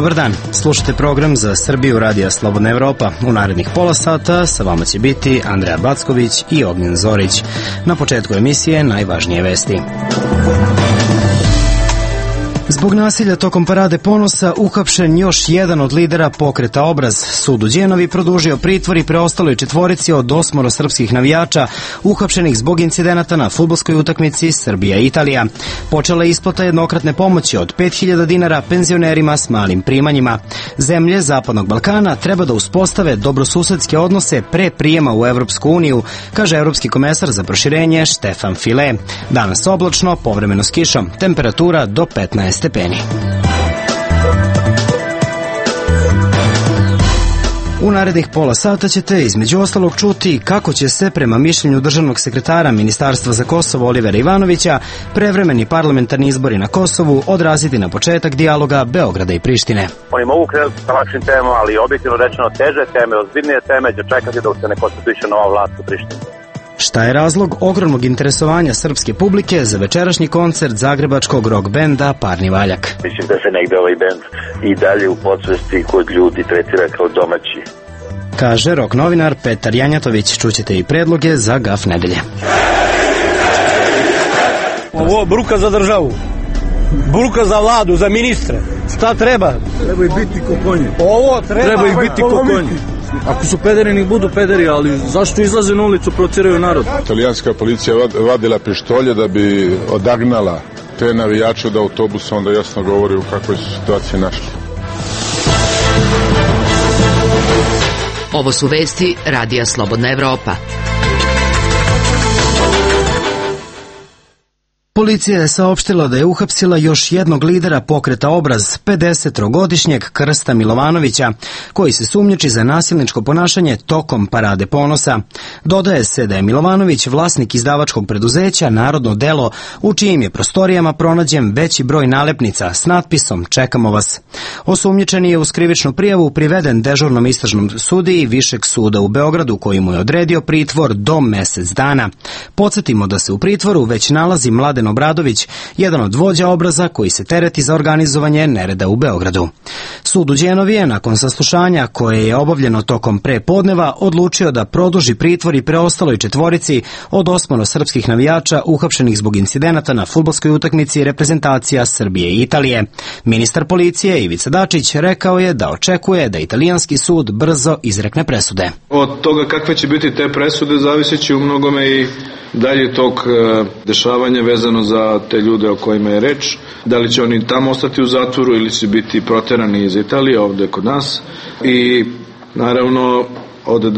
Dobar dan, slušajte program za Srbiju Radija Slobodna Evropa. U narednih pola sata sa vama će biti Andreja Backović i Ognjen Zorić. Na početku emisije najvažnije vesti. Zbog nasilja tokom Parade ponosa uhapšen još jedan od lidera pokreta Obraz. Sud u Đenovi produžio pritvor i preostaloj četvorici od 8 srpskih navijača uhapšenih zbog incidenata na fudbalskoj utakmici Srbija-Italija. Počela je isplata jednokratne pomoći od 5.000 dinara penzionerima s malim primanjima. Zemlje Zapadnog Balkana treba da uspostave dobrosusedske odnose pre prijema u Evropsku uniju, kaže evropski komesar za proširenje Štefan File. Danas oblačno, povremeno s kišom, temperatura do 15 stepeni. U narednih pola sata ćete između ostalog čuti kako će se, prema mišljenju državnog sekretara Ministarstva za Kosovo Olivera Ivanovića, prevremeni parlamentarni izbori na Kosovu odraziti na početak dijaloga Beograda i Prištine. Oni mogu krenuti sa lakšim temama, ali objektivno rečeno teže teme, ozbiljnije teme će čekati dok se ne konstituiše nova vlast u Prištini. Šta je razlog ogromnog interesovanja srpske publike za večerašnji koncert zagrebačkog rock benda Parni Valjak? Mislim da se negde ovaj bend i dalje u podsvesti kod ljudi tretira kao domaći. Kaže rock novinar Petar Janjatović. Čućete i predloge za gaf nedelje. Ovo bruka za državu, bruka za vladu, za ministre. Šta treba? Treba ih biti ko konji. Ovo treba ih biti ko konji. Ako su pederi, nek budu pederi, ali zašto izlaze na ulicu, protiraju narod? Italijanska policija vadila pištolje da bi odagnala te navijače od autobusa, onda jasno govori u kakvoj su situaciji našli. Ovo su vesti Radija Slobodna Evropa. Policija je saopštila da je uhapsila još jednog lidera pokreta Obraz, 53-godišnjeg Krsta Milovanovića, koji se sumnjiči za nasilničko ponašanje tokom Parade ponosa. Dodaje se da je Milovanović vlasnik izdavačkog preduzeća Narodno delo, u čijim je prostorijama pronađen veći broj nalepnica s natpisom "Čekamo vas". Osumnjičeni je uz krivičnu prijavu priveden dežurnom istražnom sudiji Višeg suda u Beogradu, koji mu je odredio pritvor do mesec dana. Podsjetimo da se u pritvoru već nalazi Mladen Obradović, jedan od vođa Obraza koji se tereti za organizovanje nereda u Beogradu. Sud u Đenovi je nakon saslušanja koje je obavljeno tokom prepodneva odlučio da produži pritvor i preostaloj četvorici od 8 srpskih navijača uhapšenih zbog incidenata na fudbalskoj utakmici reprezentacija Srbije i Italije. Ministar policije Ivica Dačić rekao je da očekuje da italijanski sud brzo izrekne presude. Od toga kakve će biti te presude zaviseći u mnogome i dalje tog dešavanja vezano za te ljude o kojima je reč. Da li će oni tamo ostati u zatvoru ili će biti proterani iz Italije ovde kod nas. I naravno,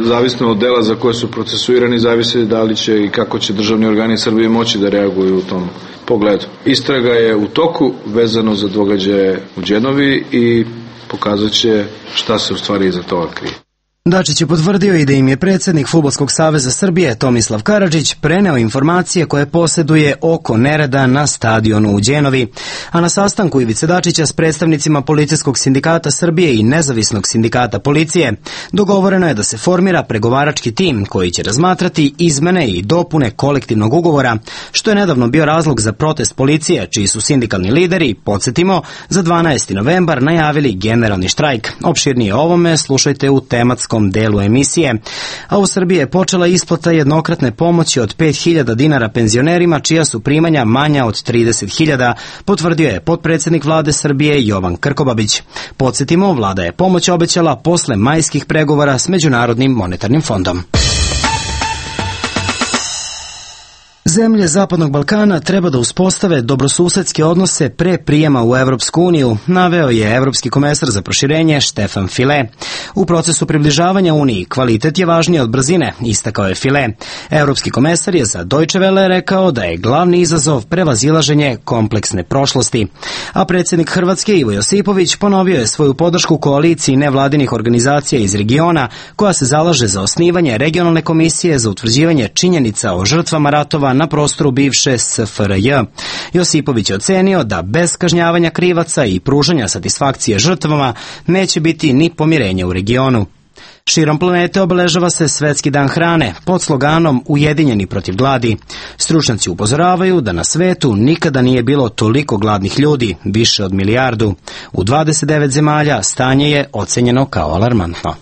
zavisno od dela za koje su procesuirani, zavisi da li će i kako će državni organi Srbije moći da reaguju u tom pogledu. Istraga je u toku vezano za događaje u Đenovi i pokazat će šta se u stvari iza toga krije. Dačić je potvrdio i da im je predsjednik Fudbalskog saveza Srbije Tomislav Karadžić preneo informacije koje posjeduje oko nereda na stadionu u Đenovi. A na sastanku Ivice Dačića s predstavnicima Policijskog sindikata Srbije i Nezavisnog sindikata policije dogovoreno je da se formira pregovarački tim koji će razmatrati izmene i dopune kolektivnog ugovora, što je nedavno bio razlog za protest policije, čiji su sindikalni lideri, podsjetimo, za 12. novembar najavili generalni štrajk. Opširnije o ovome slušajte u tematskom delu emisije. A u Srbiji je počela isplata jednokratne pomoći od 5.000 dinara penzionerima čija su primanja manja od 30.000, potvrdio je potpredsjednik vlade Srbije Jovan Krkobabić. Podsjetimo, vlada je pomoć obećala posle majskih pregovora s Međunarodnim monetarnim fondom. Zemlje Zapadnog Balkana treba da uspostave dobrosusedske odnose pre prijema u Evropsku uniju, naveo je evropski komesar za proširenje Štefan File. U procesu približavanja Uniji kvalitet je važniji od brzine, istakao je File. Evropski komesar je za Deutsche Welle rekao da je glavni izazov prevazilaženje kompleksne prošlosti. A predsjednik Hrvatske Ivo Josipović ponovio je svoju podršku koaliciji nevladinih organizacija iz regiona koja se zalaže za osnivanje regionalne komisije za utvrđivanje činjenica o žrtvama ratova na prostoru bivše SFRJ. Josipović je ocenio da bez kažnjavanja krivaca i pružanja satisfakcije žrtvama neće biti ni pomirenja u regionu. Širom planete obeležava se Svetski dan hrane pod sloganom Ujedinjeni protiv gladi. Stručnjaci upozoravaju da na svetu nikada nije bilo toliko gladnih ljudi, više od milijardu. U 29 zemalja stanje je ocenjeno kao alarmantno.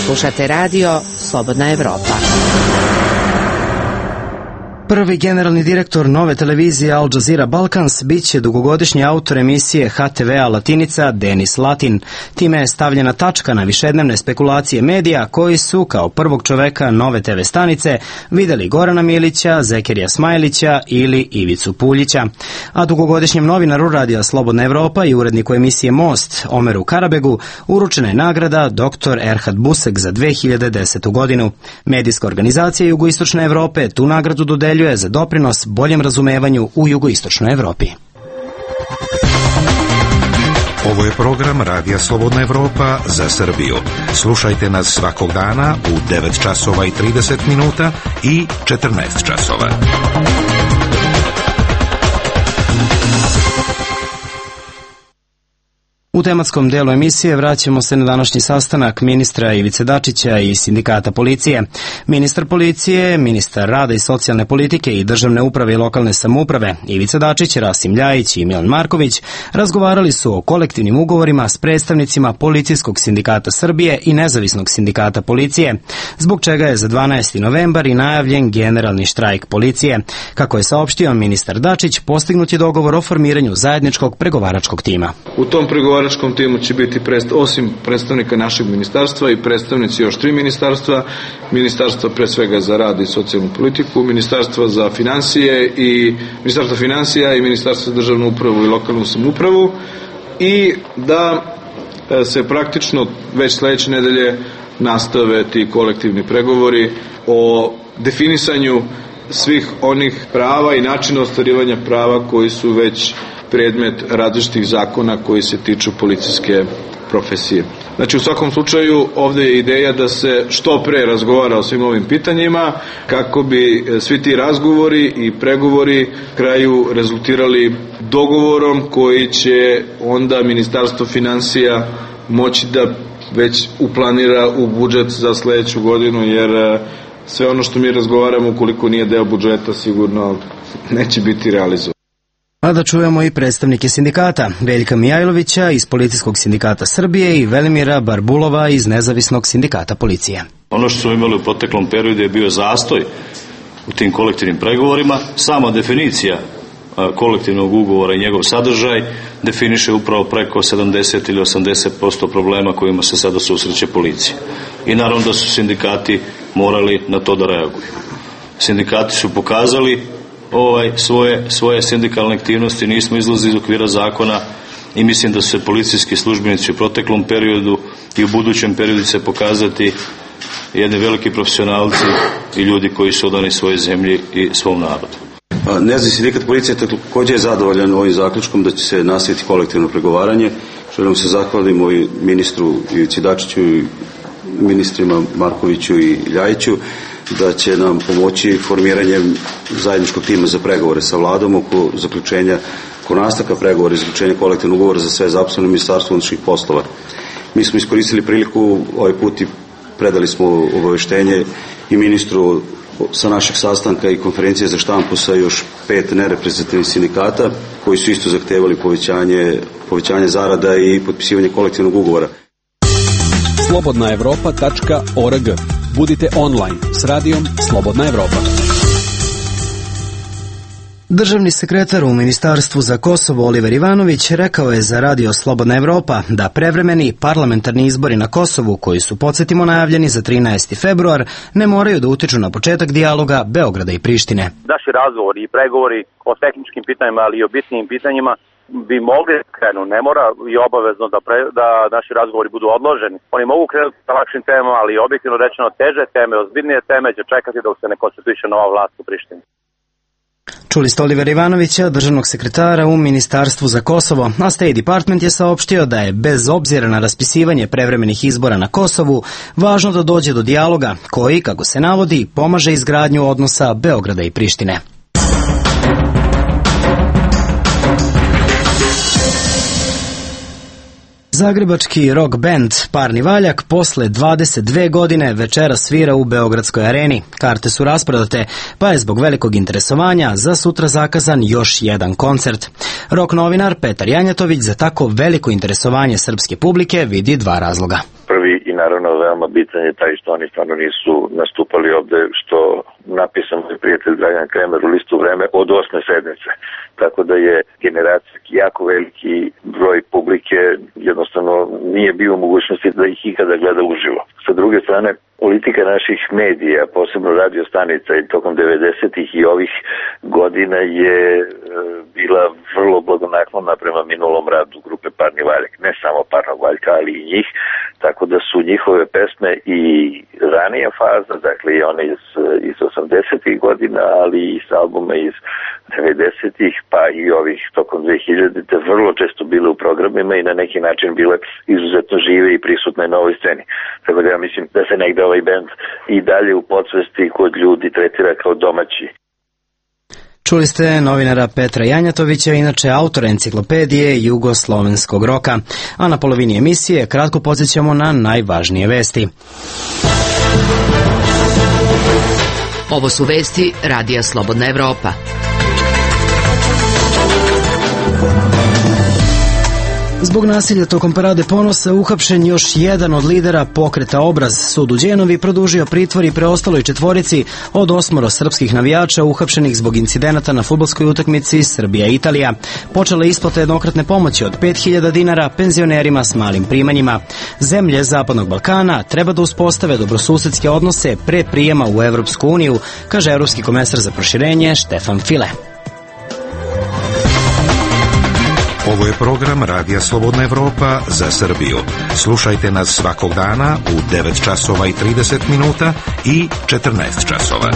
Slušate radio Slobodna Evropa. Prvi generalni direktor nove televizije Al Jazeera Balkans biće dugogodišnji autor emisije HTV-a Latinica Denis Latin. Time je stavljena tačka na višednevne spekulacije medija koji su, kao prvog čoveka nove TV stanice, videli Gorana Milića, Zekerija Smajlića ili Ivicu Puljića. A dugogodišnjem novinaru Radija Slobodna Evropa i uredniku emisije Most, Omeru Karabegu, uručena je nagrada Dr. Erhad Busek za 2010. godinu. Medijska organizacija Jugoistočne Evrope tu nagradu dodeljuje za doprinos boljem razumevanju u Jugoistočnoj Evropi. Ovo je program Radija Slobodna Evropa za Srbiju. Slušajte nas svakog dana u 9 časova i 30 minuta i 14 časova. U tematskom delu emisije vraćamo se na današnji sastanak ministra Ivice Dačića i sindikata policije. Ministar policije, ministar rada i socijalne politike i državne uprave i lokalne samouprave Ivica Dačić, Rasim Ljajić i Milan Marković razgovarali su o kolektivnim ugovorima s predstavnicima Policijskog sindikata Srbije i Nezavisnog sindikata policije, zbog čega je za 12. novembar i najavljen generalni štrajk policije. Kako je saopštio ministar Dačić, postignut je dogovor o formiranju zajedničkog pregovaračkog tima. U tom pregovaračkom timu će biti osim predstavnika našeg ministarstva i predstavnici još 3 ministarstva, ministarstva pre svega za rad i socijalnu politiku, ministarstva za financije i ministarstva financija i ministarstva za državnu upravu i lokalnu samoupravu, i da se praktično već sledeće nedelje nastave ti kolektivni pregovori o definisanju svih onih prava i načina ostvarivanja prava koji su već predmet različitih zakona koji se tiču policijske profesije. Znači, u svakom slučaju ovdje je ideja da se što pre razgovara o svim ovim pitanjima kako bi svi ti razgovori i pregovori kraju rezultirali dogovorom koji će onda Ministarstvo financija moći da već uplanira u budžet za sledeću godinu, jer sve ono što mi razgovaramo, ukoliko nije deo budžeta, sigurno neće biti realizovano. A da čujemo i predstavnike sindikata, Veljka Mijajlovića iz Policijskog sindikata Srbije i Velimira Barbulova iz Nezavisnog sindikata policije. Ono što smo imali u proteklom periodu je bio zastoj u tim kolektivnim pregovorima. Sama definicija kolektivnog ugovora i njegov sadržaj definiše upravo preko 70 ili 80% problema kojima se sada susreće policija. I naravno da su sindikati morali na to da reaguju. Sindikati su pokazali svoje sindikalne aktivnosti, nismo izlazili iz okvira zakona i mislim da su se policijski službenici u proteklom periodu i u budućem periodu se pokazati jedni veliki profesionalci i ljudi koji su odani svojoj zemlji i svom narodu. Nezavisni sindikat policije također je zadovoljan ovim zaključkom da će se nastaviti kolektivno pregovaranje. Želim se zahvalimo i ministru Ivici Dačiću i ministrima Markoviću i Ljajiću da će nam pomoći formiranjem zajedničkog tima za pregovore sa vladom oko nastavka pregovora i zaključenja kolektivnog ugovora za sve zaposlene u Ministarstvu unutrašnjih poslova. Mi smo iskoristili priliku ovaj put i predali smo obaveštenje i ministru sa našeg sastanka i konferencije za štampu sa još 5 nereprezentativnih sindikata koji su isto zahtevali povećanje zarada i potpisivanje kolektivnog ugovora. slobodnaevropa.org. Budite online s radijom Slobodna Evropa. Državni sekretar u Ministarstvu za Kosovo Oliver Ivanović rekao je za Radio Slobodna Evropa da prevremeni parlamentarni izbori na Kosovu, koji su, podsjetimo, najavljeni za 13. februar, ne moraju da utiču na početak dijaloga Beograda i Prištine. Naši razgovori i pregovori o tehničkim pitanjima, ali i o bitnim pitanjima bi mogli krenu, ne mora i obavezno da naši razgovori budu odloženi. Oni mogu krenuti sa lakšim temama, ali objektivno rečeno teže teme, ozbiljnije teme će čekati dok se ne konstituiše nova vlast u Prištini. Čuli ste Olivera Ivanovića, državnog sekretara u Ministarstvu za Kosovo, a State Department je saopštio da je, bez obzira na raspisivanje prevremenih izbora na Kosovu, važno da dođe do dijaloga koji, kako se navodi, pomaže izgradnju odnosa Beograda i Prištine. Zagrebački rock band Parni Valjak posle 22 godine večera svira u Beogradskoj areni. Karte su rasprodate, pa je zbog velikog interesovanja za sutra zakazan još jedan koncert. Rock novinar Petar Janjatović za tako veliko interesovanje srpske publike vidi dva razloga. Prvi i naravno veoma bitan je taj što oni stvarno nisu nastupali ovde, što napisao moj prijatelj Dragan Kremer u listu Vreme od 8. sedmice. Tako da je generacijski jako veliki broj publike jednostavno nije bio u mogućnosti da ih ikada gleda uživo. Sa druge strane, politika naših medija, posebno radio stanica i tokom 90-ih i ovih godina je bila vrlo blagonaklona prema minulom radu grupe Parni Valjak. Ne samo Parnog Valjka, ali i njih. Tako da su njihove pesme i ranija faza, dakle i one iz 80-ih godina, ali i s albuma iz 90-ih, pa i ovih tokom 2000-te vrlo često bile u programima i na neki način bile izuzetno žive i prisutne na ovoj sceni. Tako da ja mislim da se negde ovaj band i dalje u podsvesti kod ljudi tretira kao domaći. Čuli ste novinara Petra Janjatovića, inače autora enciklopedije jugoslovenskog roka. A na polovini emisije kratko podsjećamo na najvažnije vesti. Ovo su vesti Radija Slobodna Evropa. Zbog nasilja tokom Parade ponosa uhapšen još jedan od lidera pokreta Obraz. Sud u Đenovi produžio pritvor i preostaloj četvorici od 8 srpskih navijača uhapšenih zbog incidenata na fudbalskoj utakmici Srbija-Italija. Počela je isplata jednokratne pomoći od 5.000 dinara penzionerima s malim primanjima. Zemlje Zapadnog Balkana treba da uspostave dobrosusedske odnose pre prijema u Evropsku uniju, kaže evropski komesar za proširenje Štefan File. Ovo je program Radija Slobodna Evropa za Srbiju. Slušajte nas svakog dana u 9 časova i 30 minuta i 14 časova.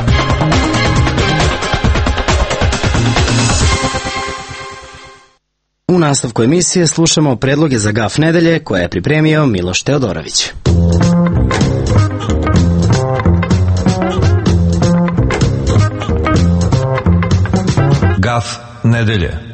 U nastavku emisije slušamo predloge za gaf nedelje koje je pripremio Miloš Teodorović. Gaf nedelje.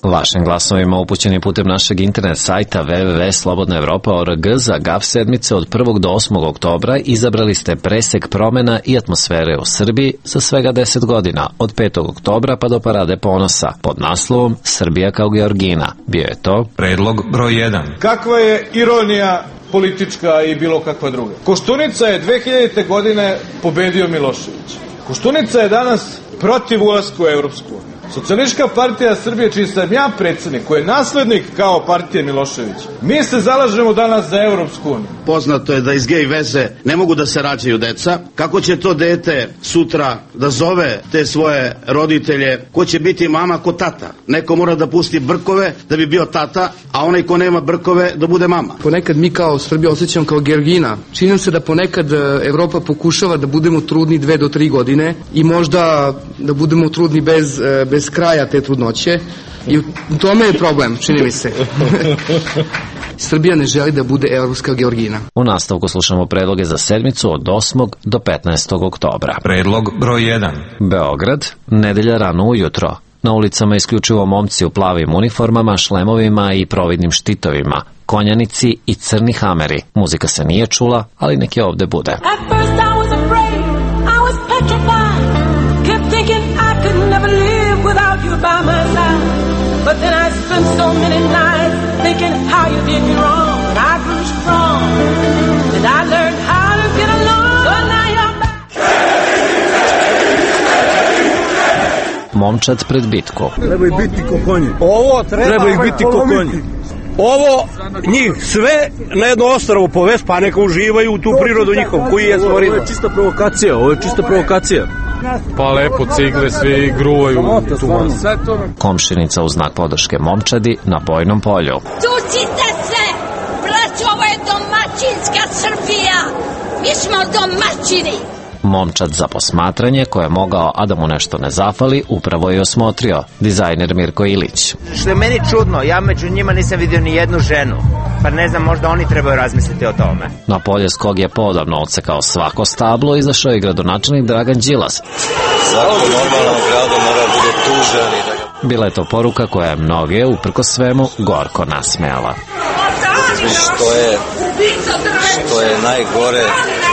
Vašim glasovima upućeni putem našeg internet sajta www.slobodnaevropa.org za GAF sedmice od 1. do 8. oktobra izabrali ste presek promena i atmosfere u Srbiji za svega 10 godina, od 5. oktobra pa do Parade ponosa, pod naslovom Srbija kao Georgina. Bio je to predlog broj 1. Kakva je ironija politička i bilo kakva druga? Koštunica je 2000. godine pobedio Milošević. Koštunica je danas protiv ulaska u Evropsku uniju. Socijalistička partija Srbije, čiji sam ja predsjednik, koji je naslednik kao partije Milošević, mi se zalažemo danas za Evropsku uniju. Poznato je da iz gej veze ne mogu da se rađaju deca. Kako će to dete sutra da zove te svoje roditelje? Ko će biti mama, ko tata? Neko mora da pusti brkove da bi bio tata, a onaj ko nema brkove da bude mama. Ponekad mi kao Srbija osjećamo kao Georgina. Čini nam se da ponekad Evropa pokušava da budemo trudni 2 do 3 godine i možda da budemo trudni bez kraja te trudnoće i u tome je problem, čini mi se. Srbija ne želi da bude evropska Georgina. U nastavku slušamo predloge za sedmicu od 8. do 15. oktobra. Predlog broj 1. Beograd, nedelja rano ujutro. Na ulicama isključivo momci u plavim uniformama, šlemovima i providnim štitovima, konjanici i crni hameri. Muzika se nije čula, ali nek je ovde bude. By my side, but then I spent so many nights thinking how you did me wrong. And I grew strong, and I learned how to get along. So now you're back. Momčad pred bitku. Treba ih biti ko konji. Ovo treba ih biti ko konji. Ovo njih sve na jedno ostrvo povest, pa neka uživaju u tu prirodu njihov koji je stvorio. Ovo je čista provokacija, ovo je čista provokacija. Pa lepo cigle, svi gruvaju tu vas. Komšinica u znak podrške momčadi na bojnom polju. Tucite se, braćo, ovo je domaćinska Srbija. Mi smo domaćini. Momčad za posmatranje, ko je mogao, a da mu nešto ne zafali, upravo je osmotrio dizajner Mirko Ilić. Što je meni čudno, ja među njima nisam vidio ni jednu ženu. Pa ne znam, možda oni trebaju razmisliti o tome. Na polje s kog je podavno odsekao svako stablo, izašao i gradonačelnik Dragan Đilas. Svako normalno grado mora bude tužan i da ga... Bila je to poruka koja je mnoge, uprkos svemu, gorko nasmejala. Što je najgore,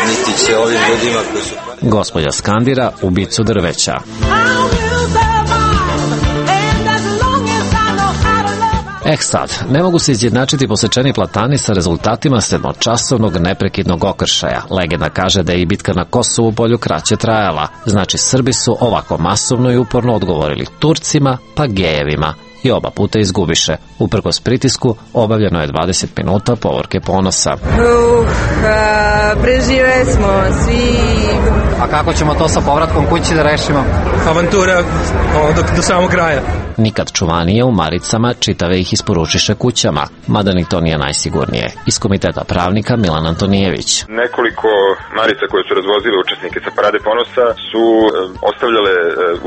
niti će ovim ljudima koji su... Gospođa skandira ubicu drveća. Sad, ne mogu se izjednačiti posečeni platani sa rezultatima sedmočasovnog neprekidnog okršaja. Legenda kaže da je i bitka na Kosovu polju kraće trajala. Znači, Srbi su ovako masovno i uporno odgovorili Turcima pa gejevima i oba puta izgubiše. Uprkos pritisku obavljeno je 20 minuta povorke ponosa. Prežive smo svi. A kako ćemo to sa povratkom kući da rešimo? Avantura do samog kraja. Nikad čuvanije u maricama, čitave ih isporučiše kućama, mada ni to nije najsigurnije. Iz Komiteta pravnika Milan Antonijević. Nekoliko marica koje su razvozile učesnike sa Parade ponosa su ostavljale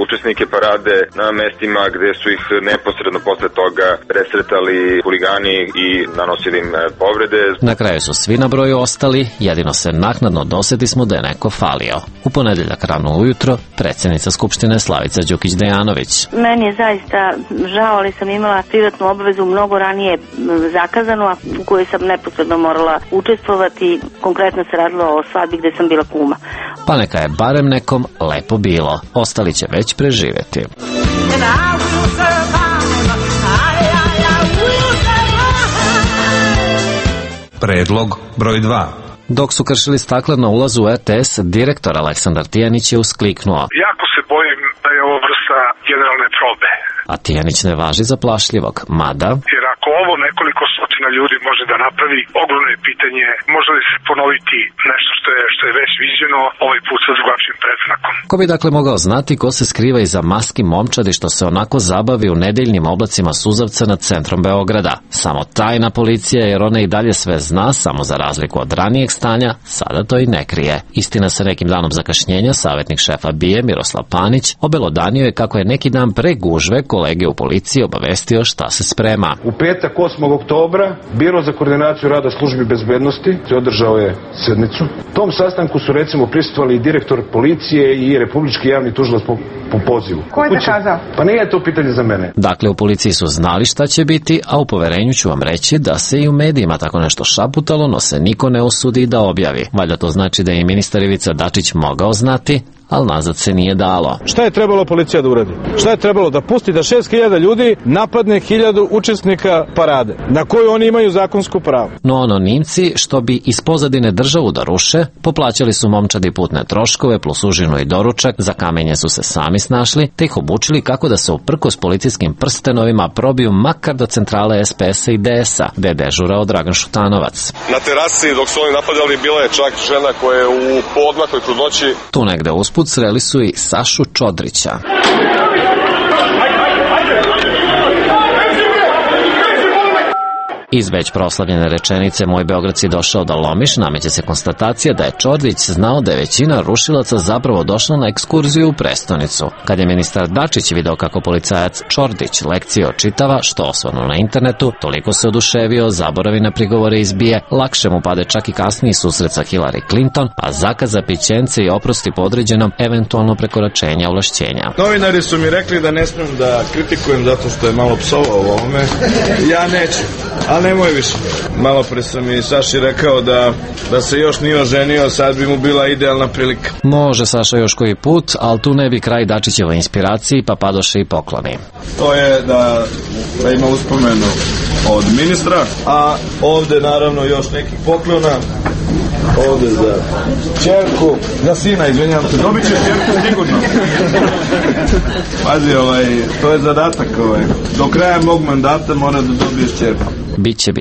učesnike parade na mestima gde su ih neposredno posle toga presretali huligani i nanosili im povrede. Na kraju su svi na broju ostali, jedino se naknadno dosetismo da je neko falio. U ponedeljak rano ujutro predsjednica Skupštine Slavica Đukić-Dejanović. Meni je zaista žao, ali sam imala privatnu obavezu mnogo ranije zakazanu, a u kojoj sam neposredno morala učestvovati. Konkretno se radilo o svadbi gde sam bila kuma. Pa neka je barem nekom lepo bilo. Ostali će već preživjeti. Predlog broj 2. Dok su kršili stakla na ulazu u RTS, direktor Aleksandar Tijanić je uskliknuo. Jako se bojim da je ovo vrsta generalne probe. A Tijanić ne važi za plašljivog, mada... Jer ako ovo nekoliko stotina ljudi može da napravi, ogromno je pitanje može li se ponoviti nešto što je već viđeno, ovaj put sa drugačijim predznakom. Ko bi dakle mogao znati ko se skriva iza maski momčadi što se onako zabavi u nedeljnim oblacima suzavca nad centrom Beograda? Samo tajna policija, jer ona i dalje sve zna, samo za razliku od ranijeg stanja, sada to i ne krije. Istina, sa nekim danom zakašnjenja, savjetnik šefa BIA Miroslav Panić obelodanio je kako je neki dan pre gužve kolege u policiji obavestio šta se sprema. U petak 8. oktobra Biro za koordinaciju rada službi bezbednosti održao je sednicu. Tom sastanku su recimo prisustvovali i direktor policije i republički javni tužilac po pozivu. Ko je zakazao? Pa nije to pitanje za mene. Dakle, u policiji su znali šta će biti, a u poverenju ću vam reći da se i u medijima tako nešto šaputalo, no se niko ne usudi da objavi. Valjda to znači da je i ministar Ivica Dačić mogao znati, ali nazad se nije dalo. Šta je trebalo policija da uradi? Šta je trebalo da pusti da 6.000 ljudi napadne 1.000 učesnika parade, na koju oni imaju zakonsko pravo? No anonimci, što bi iz pozadine državu da ruše, poplaćali su momčadi putne troškove plus užinu i doručak, za kamenje su se sami snašli, te ih obučili kako da se uprkos policijskim prstenovima probiju makar do centrale SPS-a i DS-a, gde je dežurao Dragan Šutanovac. Na terasi dok su oni napadali bila je čak žena koja je u poodmakloj trudnoći. Tu negde usput sreli su i Sašu Čodrića. Iz već proslavljene rečenice "Moj Beograd si došao da lomiš" nameće se konstatacija da je Čodrić znao da je većina rušilaca zapravo došla na ekskurziju u prestonicu. Kad je ministar Dačić video kako policajac Čordić lekcije očitava, što osvanu na internetu, toliko se oduševio, zaboravi na prigovore iz BIA, lakše mu pade čak i kasniji susret sa Hillary Clinton, a zakaza pićence i oprosti podređenom eventualno prekoračenja ovlašćenja. Novinari su mi rekli da ne smem da kritikujem zato što je malo psovao u ovome. Ja neću. Ali nemoj više. Malo pre sam i Saši rekao da se još nije oženio, sad bi mu bila idealna prilika. Može Saša još koji put, ali tu ne bi kraj Dačićevoj inspiraciji, pa padoše i pokloni. To je da ima uspomenu od ministra, a ovde naravno još nekih poklona. Ovde za čerku, za sina, izvinjam se, dobit će čerku sigurno. Pazi, to je zadatak, do kraja mog mandata mora da dobiješ čerku. Biće.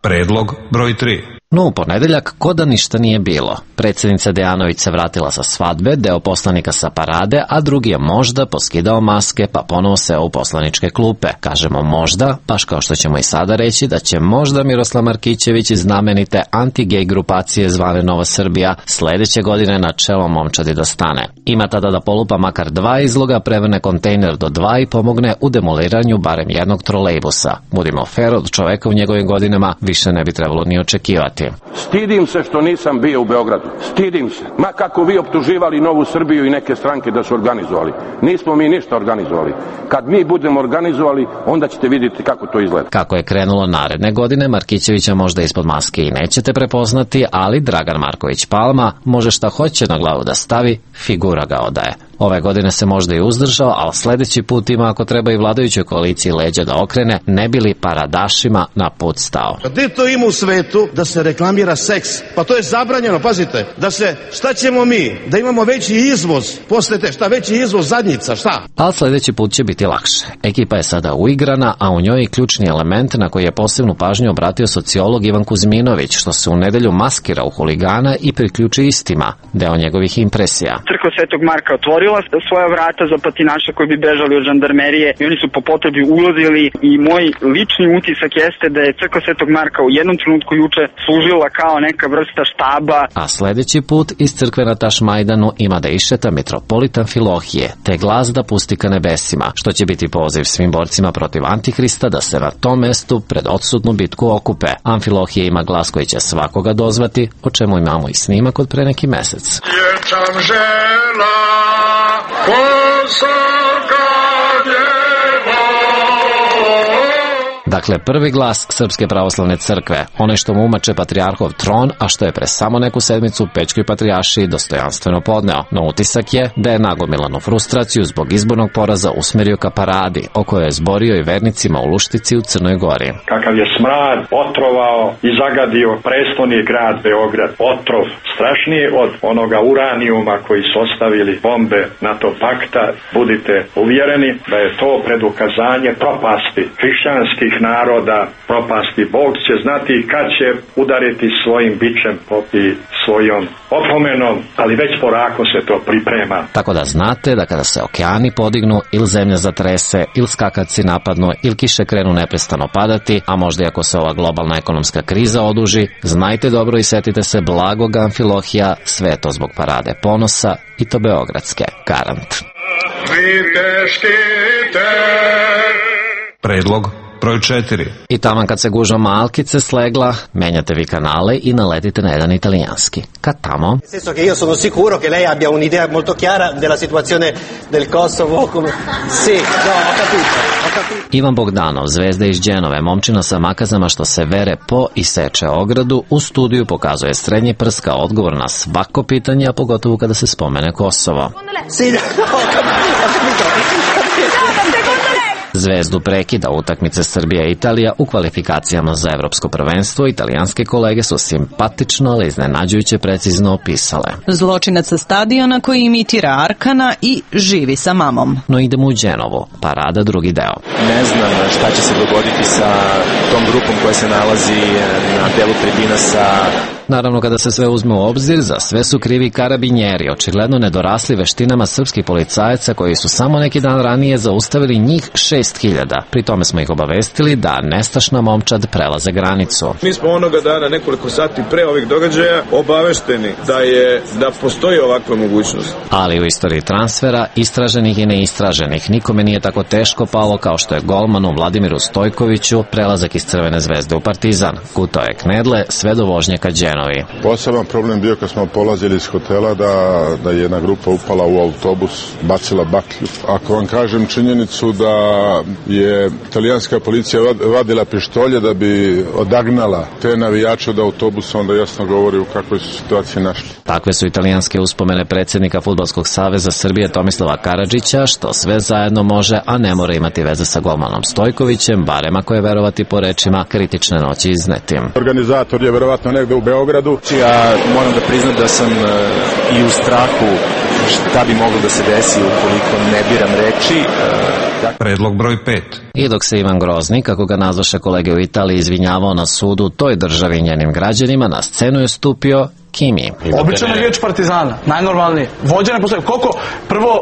Predlog broj 3. No, u ponedeljak ko da ništa nije bilo. Predsjednica Dejanović se vratila sa svadbe, deo poslanika sa parade, a drugi je možda poskidao maske pa ponovo seo u poslaničke klupe. Kažemo možda, baš kao što ćemo i sada reći da će možda Miroslav Markićević iz znamenite anti-gej grupacije zvane Nova Srbija sledeće godine na čelo momčadi da stane. Ima tada da polupa makar 2 izloga, prevrne kontejner do 2 i pomogne u demoliranju barem jednog trolejbusa. Budimo fair, od čoveka u njegovim godinama više ne bi trebalo ni očekivati. ponoviti. Stidim se što nisam bio u Beogradu. Stidim se. Ma kako vi optuživali Novu Srbiju i neke stranke da su organizovali. Nismo mi ništa organizovali. Kad mi budemo organizovali, onda ćete vidjeti kako to izgleda. Kako je krenulo naredne godine, Markićevića možda ispod maske i nećete prepoznati, ali Dragan Marković Palma može šta hoće na glavu da stavi, figura ga odaje. Ove godine se možda i uzdržao, ali sledeći put ima ako treba i vladajućoj koaliciji leđa da okrene, ne bi li paradašima na put stao. Gde to ima u svetu da se reklamira seks? Pa to je zabranjeno, pazite. Šta ćemo mi? Da imamo veći izvoz, posle veći izvoz zadnjica, šta? Ali sledeći put će biti lakše. Ekipa je sada uigrana, a u njoj je ključni element na koji je posebnu pažnju obratio sociolog Ivan Kuzminović, što se u nedelju maskira u huligana i priključi istima, deo njegovih impresija. Crkva Svetog Marka otvorila svoja vrata za patinaše koji bi bežali od žandarmerije i oni su po potrebi ulazili i moj lični utisak jeste da je Crkva Svetog Marka u jednom trenutku juče služila kao neka vrsta štaba. A sledeći put iz crkve na Tašmajdanu ima da išeta mitropolit Amfilohije, te glas da pusti ka nebesima, što će biti poziv svim borcima protiv Antihrista da se na tom mestu pred odsutnu bitku okupe. Amfilohije ima glas koji će svakoga dozvati, o čemu imamo i snimak od pre neki mesec. Ječam žela, Dakle, prvi glas Srpske pravoslavne crkve, onaj što mu umače patrijarhov tron, a što je pre samo neku sedmicu Pećkoj patrijaršiji dostojanstveno podneo. No utisak je da je nagomilanu frustraciju zbog izbornog poraza usmerio ka paradi, o kojoj je zborio i vernicima u Luštici u Crnoj Gori. Kakav je smrad otrovao i zagadio prestoni grad Beograd. Otrov strašniji od onoga uranijuma koji su ostavili bombe NATO pakta. Budite uvjereni da je to predukazanje propasti hrišćanskih naroda, propasti. Bog će znati kad će udariti svojim bičem i svojom opomenom, ali već polako se to priprema. Tako da znate da kada se okeani podignu, ili zemlja zatrese, ili skakavci napadnu, ili kiše krenu neprestano padati, a možda i ako se ova globalna ekonomska kriza oduži, znajte dobro i setite se blagog Amfilohija, sve to zbog parade ponosa, i to beogradske, garant. Predlog broj 4. I taman kad se gužva malkice slegla, menjate vi kanale i naletite na jedan italijanski. Kad tamo? Nel senso che io sono sicuro che lei abbia un'idea molto chiara della situazione del Kosovo. Sì, no, ho capito. Ivan Bogdanov, zvezda iz Dženove, momčina sa makazama što se vere po i seče ogradu, u studiju pokazuje srednji prst kao odgovor na svako pitanje, a pogotovo kada se spomene Kosovo. Sì, no, ho capito. Zvezdu prekida utakmice Srbija i Italija u kvalifikacijama za evropsko prvenstvo. Italijanske kolege su simpatično, ali iznenađujuće precizno opisale. Zločinac sa stadiona koji imitira Arkana i živi sa mamom. No idemo u Dženovu, parada drugi deo. Ne znam šta će se dogoditi sa tom grupom koja se nalazi na delu tribina sa... Naravno, kada se sve uzme u obzir, za sve su krivi karabinjeri, očigledno nedorasli veštinama srpskih policajaca koji su samo neki dan ranije zaustavili njih 6000. Pri tome smo ih obavestili da nestašna momčad prelaze granicu. Mi smo onoga dana, nekoliko sati pre ovih događaja, obavešteni da postoji ovakva mogućnost. Ali u istoriji transfera, istraženih i neistraženih, nikome nije tako teško palo kao što je golmanu Vladimiru Stojkoviću prelazak iz Crvene zvezde u Partizan. Gutao je knedle sve do vožnje ka Dženovi. Poseban problem bio kad smo polazili iz hotela da je jedna grupa upala u autobus, bacila baklju. Ako vam kažem činjenicu da je italijanska policija vadila pištolje da bi odagnala te navijače od autobusa, onda jasno govori u kakvoj su situaciji našli. Takve su italijanske uspomene predsjednika Fudbalskog saveza Srbije Tomislava Karadžića, što sve zajedno može, a ne mora imati veze sa golmanom Stojkovićem, barem ako je verovati po rečima kritične noći iznetim. Organizator je verovatno negde u Beogradu. Ja moram da priznam da sam i u strahu šta bi moglo da se desi ukoliko ne biram reči. Predlog broj 5. I dok se Ivan Grozni, kako ga nazvaše kolege u Italiji, izvinjavao na sudu toj državi i njenim građanima, na scenu je stupio Kimi. Obično navijač Partizana, najnormalnije. Vođa ne postoji. Koliko,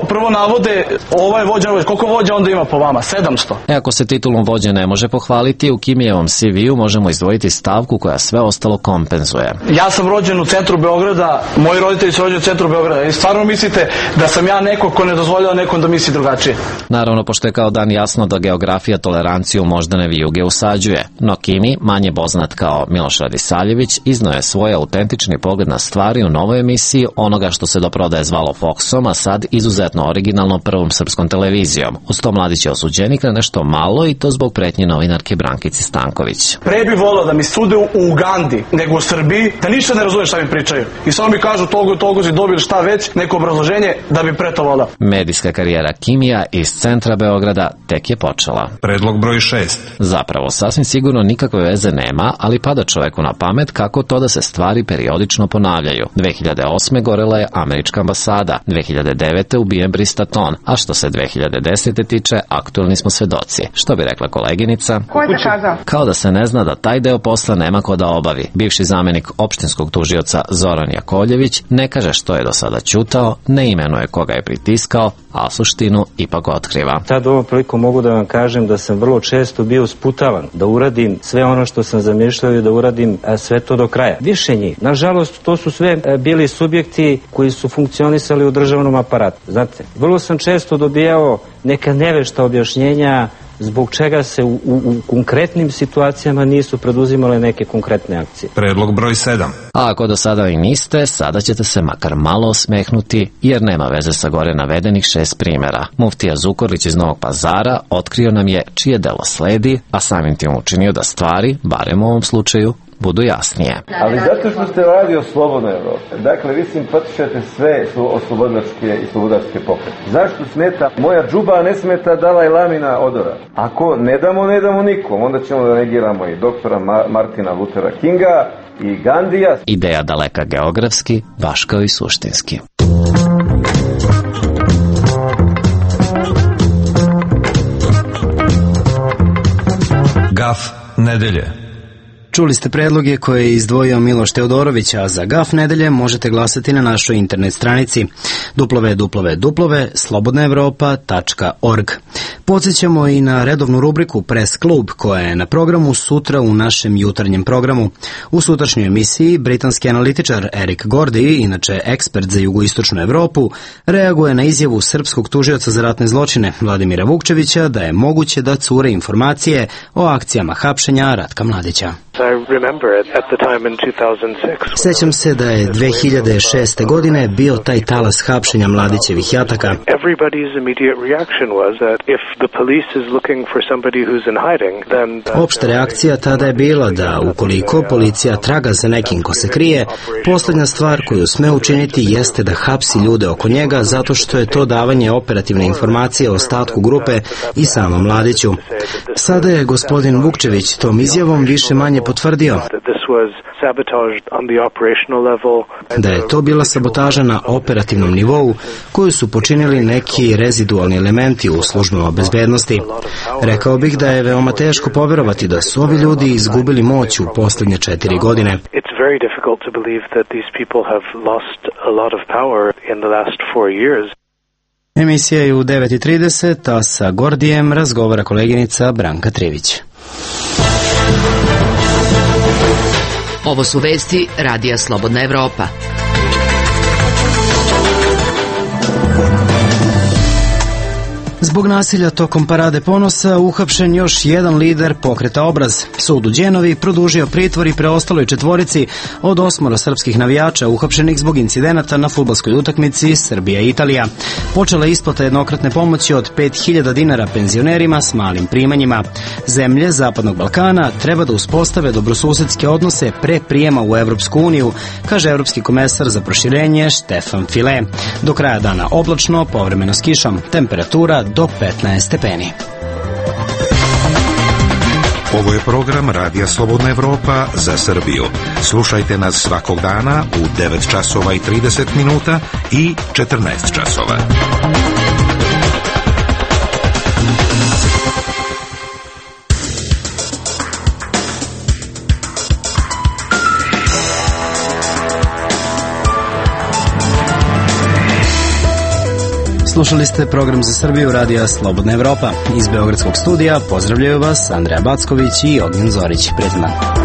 prvo navode, ovaj vođa, koliko vođa onda ima po vama? 700. Ako se titulom vođe ne može pohvaliti, u Kimijevom CV-u možemo izdvojiti stavku koja sve ostalo kompenzuje. Ja sam rođen u centru Beograda, moji roditelji su rođeni u centru Beograda. I stvarno mislite da sam ja neko ko ne dozvoljava nekom da misli drugačije? Naravno, pošto je kao dan jasno da geografija toleranciju moždane vijuge usađuje, no Kimi, manje poznat kao Miloš Radisavljević, iznao je svoj autentični pogled na stvari u novoj emisiji onoga što se do prodaje zvalo Foxom, a sad izuzetno originalno Prvom srpskom televizijom. Uz to Mladić je osuđenik na nešto malo i to zbog pretnje novinarke Brankici Stanković. Pre bi volao da mi sude u Ugandi nego u Srbiji, da ništa ne razume šta mi pričaju. I samo mi kažu togo si dobili šta već, neko obrazloženje da bi pre to volao. Medijska karijera Kimija iz centra Beograda tek je počela. Predlog broj 6. Zapravo, sasvim sigurno nikakve veze nema, ali pada čoveku na pamet kako to da se stvari periodično ponavljaju. 2008. gorela je američka ambasada, 2009. ubijen Brista Ton, a što se 2010. tiče, aktuelni smo svedoci. Što bi rekla koleginica? Ko je zakazao? Kao da se ne zna da taj deo posla nema ko da obavi. Bivši zamenik opštinskog tužioca Zoran Jakovljević ne kaže što je do sada ćutao, ne imenuje koga je pritiskao, a suštinu ipak otkriva. Sad ovom priliku mogu da vam kažem da sam vrlo često bio sputavan da uradim sve ono što sam zamišljao i da uradim sve to do kraja. Više njih. Nažalost, to su sve bili subjekti koji su funkcionisali u državnom aparatu. Znate, vrlo sam često dobijao neka nevešta objašnjenja zbog čega se u konkretnim situacijama nisu preduzimale neke konkretne akcije. Predlog broj 7. A ako do sada i niste, sada ćete se makar malo osmehnuti, jer nema veze sa gore navedenih 6 primjera. Muftija Zukorlić iz Novog Pazara otkrio nam je čije delo sledi, a samim tim učinio da stvari, barem u ovom slučaju, budu jasnije. Ali zato što ste radio Slobodna Evropa, dakle vi simpatišete sve oslobodilačke i slobodarske pokrete. Zašto smeta moja džuba, a ne smeta Dalaj Lamina odora? Ako ne damo nikom, onda ćemo da negiramo i doktora Martina Luthera Kinga i Gandija. Ideja daleka geografski, baš kao i suštinski. Gaf nedelje. Čuli ste predloge koje je izdvojio Miloš Teodorović, a za Gaf nedelje možete glasati na našoj internet stranici www.slobodnaevropa.org. Podsjećamo i na redovnu rubriku Press Klub koja je na programu sutra u našem jutarnjem programu. U sutrašnjoj emisiji britanski analitičar Eric Gordy, inače ekspert za jugoistočnu Evropu, reaguje na izjavu srpskog tužioca za ratne zločine Vladimira Vukčevića da je moguće da cure informacije o akcijama hapšenja Ratka Mladića. Sećam se da je 2006. godine bio taj talas hapšenja Mladićevih jataka. Opšta reakcija tada je bila da ukoliko policija traga za nekim ko se krije, poslednja stvar koju sme učiniti jeste da hapsi ljude oko njega zato što je to davanje operativne informacije o ostatku grupe i samom Mladiću. Sada je gospodin Vukčević tom izjavom više manje potvrdio da je to bila sabotaža na operativnom nivou koju su počinili neki rezidualni elementi u službama bezbednosti. Rekao bih da je veoma teško poverovati da su ovi ljudi izgubili moć u poslednje 4 godine. Emisija je u 9:30, a sa Gordijem razgovara koleginica Branka Trivić. Ovo su vesti Radija Slobodna Evropa. Zbog nasilja tokom Parade ponosa uhapšen još jedan lider pokreta Obraz. Sud u Đenovi produžio pritvor i preostaloj 4 od 8 srpskih navijača uhapšenih zbog incidenata na fudbalskoj utakmici Srbija-Italija. Počela je isplata jednokratne pomoći od 5.000 dinara penzionerima s malim primanjima. Zemlje Zapadnog Balkana treba da uspostave dobrosusedske odnose pre prijema u Evropsku uniju, kaže evropski komesar za proširenje Štefan File. Do kraja dana oblačno, povremeno s kišom, temperatura do 15 stepeni. Ovo je program Radija Slobodna Evropa za Srbiju. Slušajte nas svakog dana u 9 časova i 30 minuta i 14 časova. Slušali ste program za Srbiju Radija Slobodna Evropa. Iz Beogradskog studija pozdravljaju vas Andreja Backović i Ognjen Zorić. Prijatno dan.